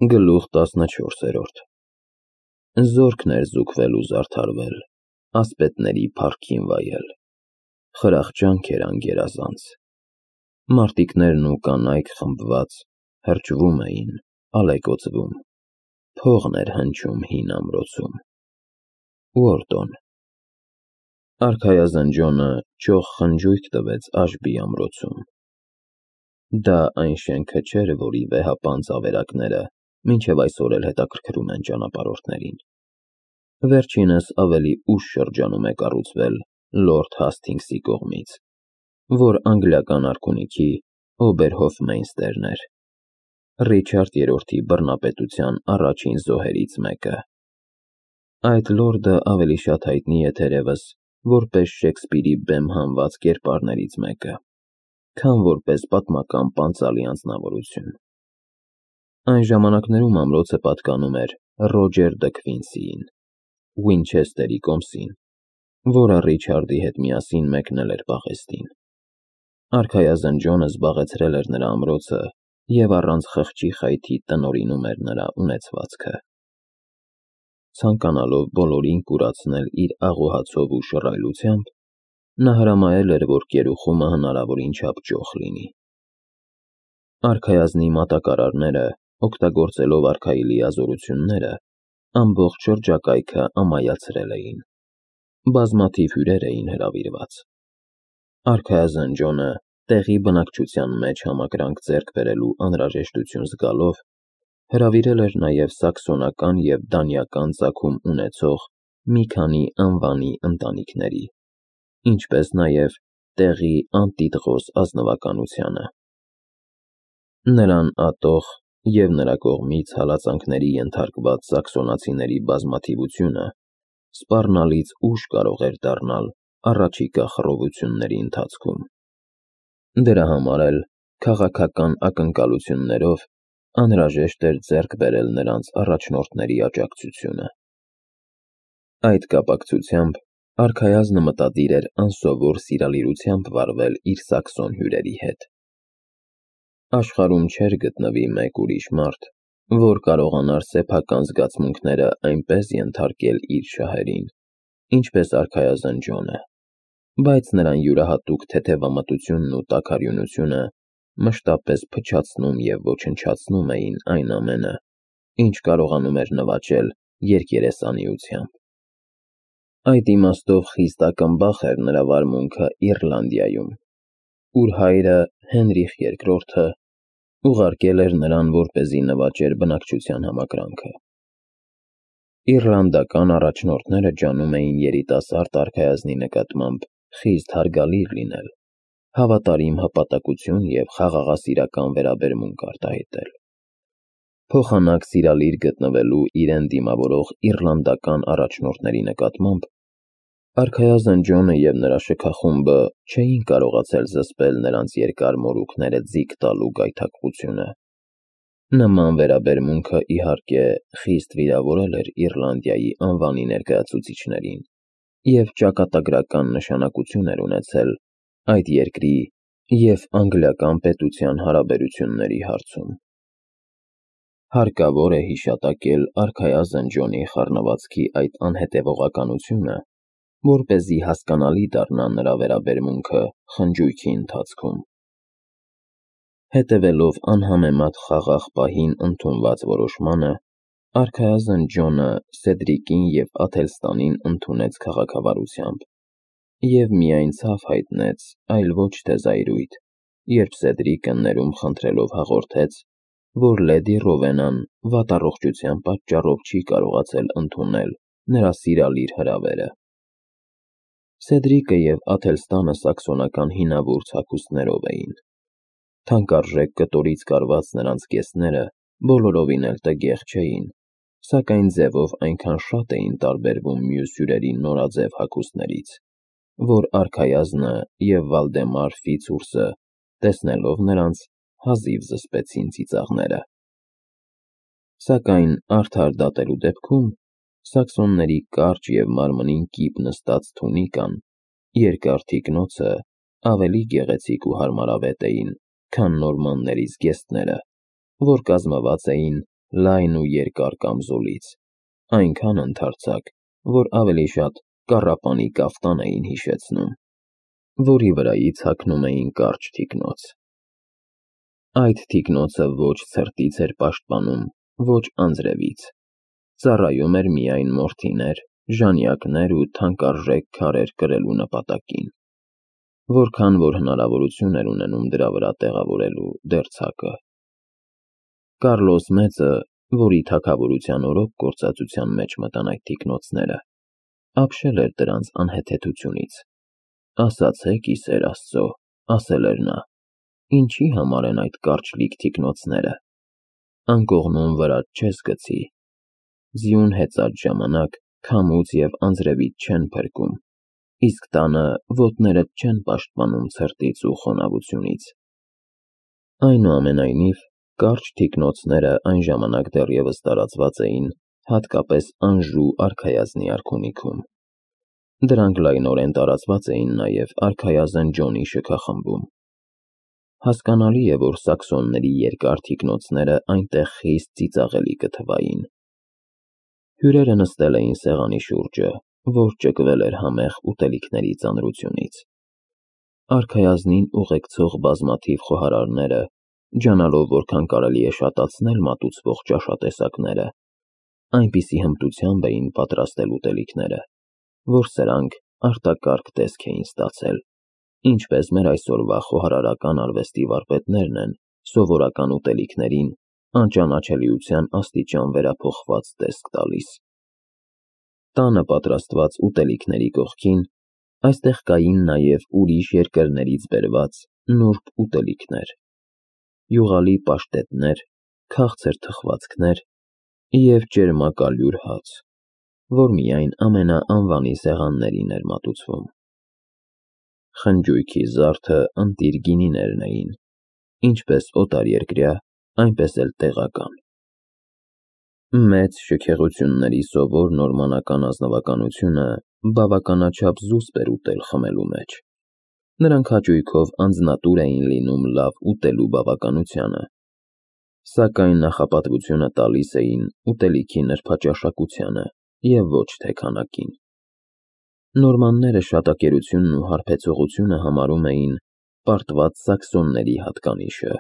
Գլուխ 14 Զորքն էր զուգվել ու զարդարվել, ասպետների փառքին վայել, խրախճանք էր անգերազանց, մարտիկներն ու կանայք խմբված հրճվում էին, ալեկոծվում, փողն էր հնչում հին ամրոցում, Ուորտոն, արքայազնջոնը ճոխ խնջույք տվեց Աշբի ամրոցում, դա այն շենքը չէր, որի վեհապանծ ավերակները մինչև այսօր էլ հետաքրքրում են ճանապարհորդներին, վերջինս ավելի ուշ շրջանում է կառուցվել Լորդ Հասթինգսի կողմից, որ անգլիական արքունիքի Օբերհոֆմեյստերն էր, Ռիչարդ III բռնապետության առաջին զոհերից մեկը, այդ լորդը ավելի շատ հայտնի է թերևս որպես Շեքսպիրի բեմ հանված կերպարներից մեկը, քան որպես պատմական պանծալի անձնավորություն, այն ժամանակներում ամրոցը պատկանում էր Ռոջեր դը Քվինսիին, Ուինչեսթերի կոմսին, որը Ռիչարդի հետ միասին մեկնել էր պաղեստին, արքայազն Ջոնը զբաղեցրել էր նրա ամրոցը և առանց խղճի խայթի տնօրինում էր նրա ունեցվածքը, ցանկանալով բոլորին կուրացնել իր աղոհացով ու շռայլությամբ, նա հրամայել էր, որ կերուխումը հնարավորին չափ ճոխ լինի, արքայազնի մատակարարները, օգտագործելով արքայի լիազորությունները, ամբողջ շրջակայքը ամայացրել էին, բազմաթիվ հյուրեր էին հրավիրված, արքայազն Ջոնը տեղի բնակչության մեջ համակրանք ձեռք բերելու անհրաժեշտություն զգալով, հրավիրել էր նաև սաքսոնական և դանիական ծագում ունեցող մի քանի անվանի ընտանիքների, ինչպես նաև տեղի անտիտղոս ազնվականությանը, նրան ատող և նրա կողմից հալածանքների ենթարկված սաքսոնացիների բազմաթիվությունը սպառնալից ուշ կարող էր դառնալ առաջիկա խռովությունների ընթացքում, դրա համար էլ քաղաքական ակնկալություններով անհրաժեշտ էր ձեռք բերել նրանց առաջնորդների աջակցությունը, այդ կապակցությամբ արքայազնը մտադիր էր անսովոր սիրալիրությամբ վարվել իր սաքսոն հյուրերի հետ, աշխարհում չէր գտնվի մեկ ուրիշ մարդ, որ կարողանար սեփական զգացմունքները այնպես ենթարկել իր շահերին, ինչպես արքայազն Ջոնը, բայց նրան յուրահատուկ թեթևամտությունն ու տաքարյունությունը մշտապես փչացնում և ոչնչացնում էին այն ամենը, ինչ կարողանում էր նվաճել երկերեսանիությամբ, այդ իմաստով խիստ ակնբախ էր նրա վարմունքը Իռլանդիայում, ուր հայրը Հենրիխ II ուղարկել էր նրան, որպեսզի նվաճեր բնակչության համակրանքը, իռլանդական առաջնորդները ջանում էին երիտասարդ արքայազնի նկատմամբ խիստ հարգալիր լինել, հավատարիմ հպատակություն և խաղաղասիրական վերաբերմունք արտահայտել, փոխանակ սիրալիր գտնվելու իրեն դիմավորող իռլանդական առաջնորդների նկատմամբ, արքայազն Ջոնը և նրա շքախումբը չէին կարողացել զսպել նրանց երկար մորուքները ձիգ տալու գայթակղությունը, նման վերաբերմունքը իհարկե խիստ վիրավորել էր Իռլանդիայի անվանի ներկայացուցիչներին և ճակատագրական նշանակություն էր ունեցել այդ երկրի և անգլիական պետության հարաբերությունների հարցում, հարկավոր է հիշատակել արքայազն Ջոնի խառնվածքի այդ անհետևողականությունը, որպեսզի հասկանալի դառնա նրա վերաբերմունքը խնջույքի ընթացքում, հետևելով անհամեմատ խաղաղ պահին ընդունված որոշմանը, արքայազն Ջոնը Սեդրիկին և Աթելստանին ընդունեց քաղաքավարությամբ և միայն ցավ հայտնեց, այլ ոչ թե զայրույթ, երբ Սեդրիկը ներում խնդրելով հաղորդեց, որ լեդի Ռովենան վատառողջության պատճառով չի կարողացել ընդունել նրա սիրալիր հրավերը, Սեդրիկը և Աթելստանը սաքսոնական հինավուրց հագուստներով էին, թանկարժեք կտորից կարված նրանց կեսները բոլորովին էլ տգեղ չէին, սակայն ձևով այնքան շատ էին տարբերվում մյուս հյուրերի նորաձև հագուստներից, որ արքայազնը և Վալդեմար Ֆիցուրսը, տեսնելով նրանց, հազիվ զսպեցին ծիծաղները, սակայն արդար դատելու դեպքում սաքսոնների կարճ և մարմնին կիպ նստած թունիկան, երկար թիկնոցը ավելի գեղեցիկ ու հարմարավետ էին, քան նորմանների զգեստները, որ կազմված էին լայն ու երկար կամզոլից, այնքան ընդարձակ, որ ավելի շատ կառապանի կաֆտան էին հիշեցնում, որի վրայից հագնում էին կարճ թիկնոց։ Այդ թիկնոցը ոչ ցրտից էր պաշտպանում, ոչ անձրևից, ծառայում էր միայն մորթիներ, ժանյակներ ու թանկարժեք քարեր կրելու նպատակին, որքան որ հնարավորություն էր ունենում դրա վրա տեղավորելու դերձակը։ Կարլոս Մեծը, որի թագավորության օրոք գործածության մեջ մտան այդ թիկնոցները, ապշել էր դրանց անհեթեթությունից։ «Ասացեք, ի սեր Աստծո», ասել էր նա, «ինչի համար են այդ կարճլիկ թիկնոցները։ Անկողնում վրա չես գցի։ Ձյուն հեծած ժամանակ քամուց և անձրևից չեն փրկում, իսկ տանը ոտներդ չեն պաշտպանում ցրտից ու խոնավությունից»։ Այնուամենայնիվ, կարճ թիկնոցները այն ժամանակ դեռևս տարածված էին հատկապես Անժու արքայազնի արքունիքում։ Դրանք լայնորեն տարածված էին նաև արքայազն Ջոնի շքախմբում։ Հասկանալի է, որ սաքսոնների երկար թիկնոցները այնտեղ խիստ ծիծաղելի կթվային։ Հյուրերը նստել էին սեղանի շուրջը, որ ճկվել էր համեղ ուտելիքների ծանրությունից։ Արքայազնին ուղեկցող բազմաթիվ խոհարարները, ջանալով որքան կարելի է շատացնել մատուցվող ճաշատեսակները, այնպիսի հմտությամբ էին պատրաստել ուտելիքները, որ սրանք արտակարգ տեսք էին ստացել, ինչպես մեր այսօրվա խոհարարական արվեստի վարպետներն են սովորական ուտելիքներին անճանաչելիության աստիճան վերափոխված տեսք տալիս։ Տանը պատրաստված ուտելիքների կողքին այստեղ կային նաև ուրիշ երկրներից բերված նուրբ ուտելիքներ, յուղալի պաշտետներ, քաղցր թխվածքներ և ճերմակալյուր հաց, որ միայն ամենաանվանի սեղաններին էր մատուցվում։ Խնջույքի զարդը ընտիր գինիներն էին, ինչպես օտարերկրյա, այնպես էլ տեղական։ Մեծ շքեղությունների սովոր նորմանական ազնվականությունը բավականաչափ զուսպ էր ուտել-խմելու մեջ։ Նրանք հաճույքով անձնատուր էին լինում լավ ուտելու բավականությանը, սակայն նախապատվությունը տալիս էին ուտելիքի նրբաճաշակությանը և ոչ թե քանակին։ Նորմանները շատակերությունն ու հարբեցողությունը համարում էին պարտված սաքսոնների հատկանիշը,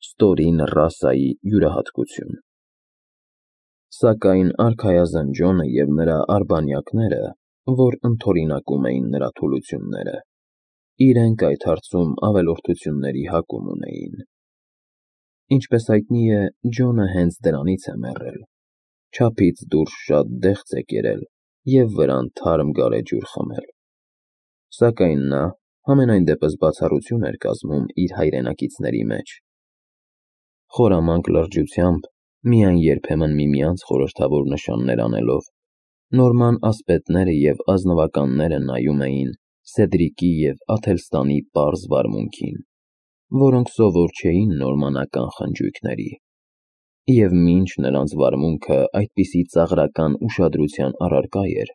ստորին ռասայի յուրահատկություն։ Սակայն արքայազն Ջոնը և նրա արբանյակները, որ ընդօրինակում էին նրա թուլությունները, իրենք այդ հարցում ավելորդությունների հակում ունեին։ Ինչպես հայտնի է, Ջոնը հենց դրանից է մեռել, չափից դուրս շատ դեղց է կերել և վրան թարմ գարեջուր խմել։ Սակայն նա համենայն դեպս բացառություն էր կազմում իր հայրենակիցների մեջ։ Խորամանկ լրջությամբ, միայն երբեմն միմյանց խորհրդավոր նշաններ անելով, նորման ասպետները և ազնվականները նայում էին Սեդրիկի և Աթելստանի պարզ վարմունքին, որոնք սովոր չէին նորմանական խնջույքների, և մինչ նրանց վարմունքը այդպիսի ծաղրական ուշադրության առարկա էր,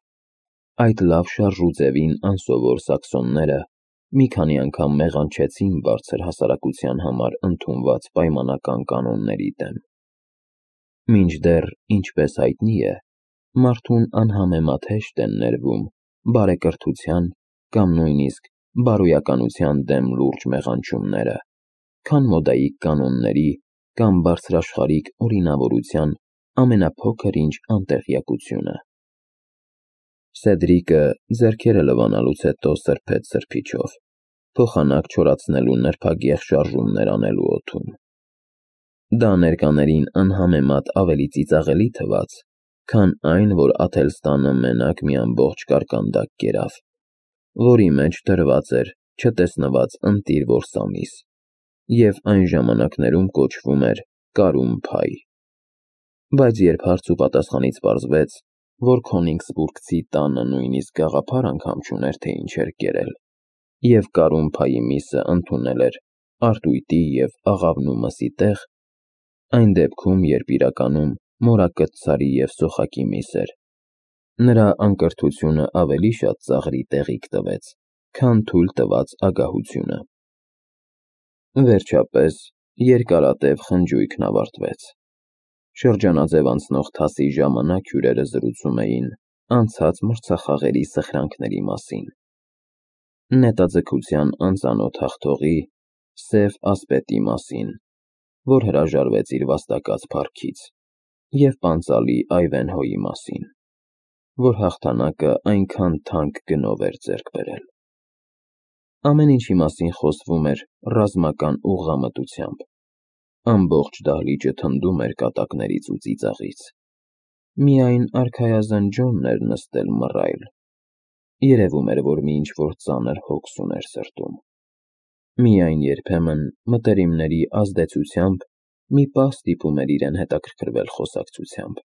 այդ լավ շարժուձևին անսովոր սաքսոնները մի քանի անգամ մեղանչեցին բարձր հասարակության համար ընդունված պայմանական կանոնների դեմ։ Մինչդեռ, ինչպես հայտնի է, մարդուն անհամեմատ հեշտ են ներվում բարեկրթության կամ նույնիսկ բարոյականության դեմ լուրջ մեղանչումները, քան մոդայիկ կանոնների կամ բարձրաշխարհիկ օրինավորության ամենափոքր ինչ անտեղյակությունը։ Սեդրիկը ձեռքերը լվանալուց հետո սրբեց սրբիչով, փոխանակ չորացնելու նրբագեղ շարժումներ անելու օդում։ Դա ներկաներին անհամեմատ ավելի ծիծաղելի թվաց, քան այն, որ Աթելստանը մենակ մի ամբողջ կարկանդակ կերավ, որի մեջ դրված էր չտեսնված ընտիր որսամիս և այն ժամանակներում կոչվում էր կարում փայ։ Բայց երբ հարց ու պատասխանից պարզվեց, որ Քոնիգսբուրգցի տանը նույնիսկ գաղափար անգամ չուներ, թե ինչ էր կերել, և կարում փայի միսը ընդունել էր արտույտի և աղավնու մսի տեղ, այն դեպքում, երբ իրականում մորակտցարի և սոխակի միս էր, նրա անկրթությունը ավելի շատ ծաղրի տեղիք տվեց, քան թույլ տված ագահությունը։ Վերջապես, երկարատև խնջույքն ավարտվեց։ Շրջանաձև անցնող թասի ժամանակ հյուրերը զրուցում էին անցած մրցախաղերի սխրանքների մասին, նետաձգության անծանոթ հաղթողի Սև ասպետի մասին, որ հրաժարվեց իր վաստակած փառքից, և պանծալի Այվենհոյի մասին, որ հաղթանակը այնքան թանկ գնով էր ձեռք բերել։ Ամեն ինչի մասին խոսվում էր ռազմական ուղղամտությամբ, ամբողջ դահլիճը թնդում էր կատակներից ու ծիծաղից։ Միայն արքայազն Ջոնն էր նստել մռայլ, երևում էր, որ մի ինչ-որ ծանր հոգս ուներ սրտում։ Միայն երբեմն մտերիմների ազդեցությամբ մի պահ ստիպում էր իրեն հետաքրքրվել խոսակցությամբ։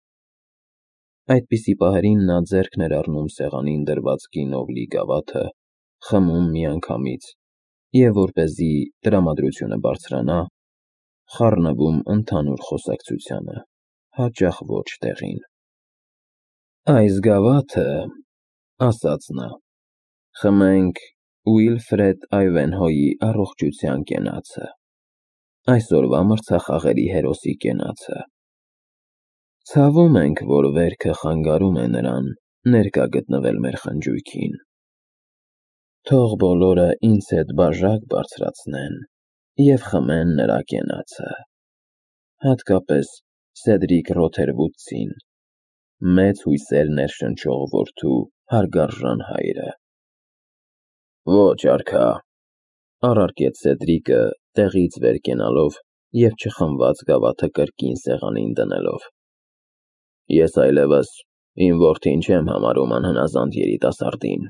Այդպիսի պահերին նա ձեռքն էր առնում սեղանին դրված գինով լի գավաթը, խմում միանգամից և, որպեսզի տրամադրությունը բարձրանա, խառնվում ընդհանուր խոսակցությանը, հաճախ ոչ տեղին։ «Այս գավաթը, — ասաց նա, — խմենք Ուիլֆրեդ Այվենհոյի առողջության կենացը, այսօրվա մրցախաղերի հերոսի կենացը։ Ցավում ենք, որ վերքը խանգարում է նրան ներկա գտնվել մեր խնջույքին։ Թող բոլորը ինձ հետ բաժակ բարձրացնեն և խմեն նրա կենացը, հատկապես Սեդրիկ Ռոթերվուդցին, մեծ հույսեր ներշնչող որդու հարգարժան հայրը»։ «Ոչ, արքա», — առարկեց Սեդրիկը, տեղից վեր կենալով և չխմված գավաթը կրկին սեղանին դնելով։ «Ես այլևս իմ որդին չեմ համարում անհնազանդ երիտասարդին,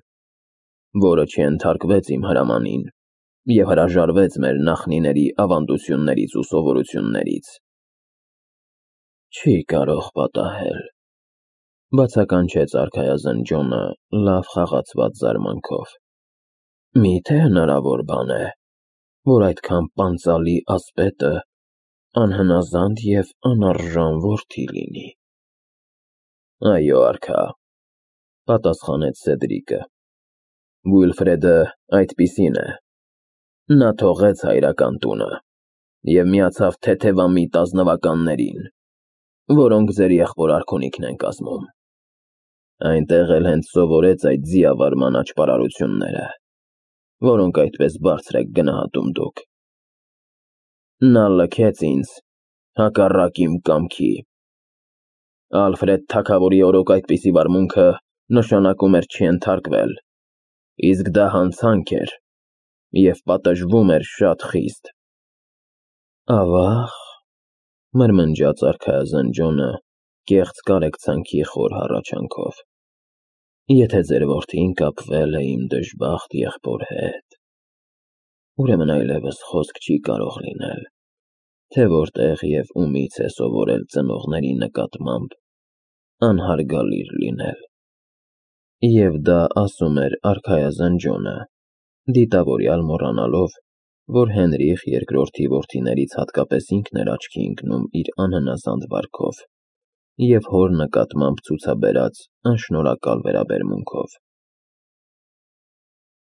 որը չենթարկվեց իմ հրամանին և հրաժարվեց մեր նախնիների ավանդություններից ու սովորություններից»։ «Չի կարող պատահել», — բացականչեց արքայազն Ջոնը լավ խաղացված զարմանքով։ «Մի՞թե հնարավոր բան է, որ այդքան պանծալի ասպետը անհնազանդ և անարժան որդի լինի»։ «Այո, արքա», — պատասխանեց Սեդրիկը, «Ուիլֆրեդը այդպիսին է։ Նա թողեց հայրական տունը և միացավ թեթևամիտ ազնվականներին, որոնք ձեր եղբոր արքունիքն են կազմում։ Այնտեղ էլ հենց սովորեց այդ ձիավարման աճպարարությունները, որոնք այդպես բարձր եք գնահատում դուք։ Նա լքեց ինձ հակառակ իմ կամքի։ Ալֆրեդ թագավորի օրոք այդպիսի վարմունքը նշանակում էր չենթարկվել, իսկ դա հանցանք էր և պատժվում էր շատ խիստ»։ «Ավա՜ղ», — մրմնջաց արքայազն Ջոնը կեղծ կարեկցանքի խոր հառաչանքով, «եթե ձեր որդին կապվել է իմ դժբախտ եղբոր հետ, ուրեմն այլևս խոսք չի կարող լինել, թե որտեղ և ումից է սովորել ծնողների նկատմամբ անհարգալիր լինել»։ Եվ դա ասում էր արքայազն Ջոնը, դիտավորյալ մոռանալով, որ Հենրիխ II-ի որդիներից հատկապես ինքն էր աչքի ընկնում իր անհնազանդ վարքով և հոր նկատմամբ ցուցաբերած անշնորհակալ վերաբերմունքով։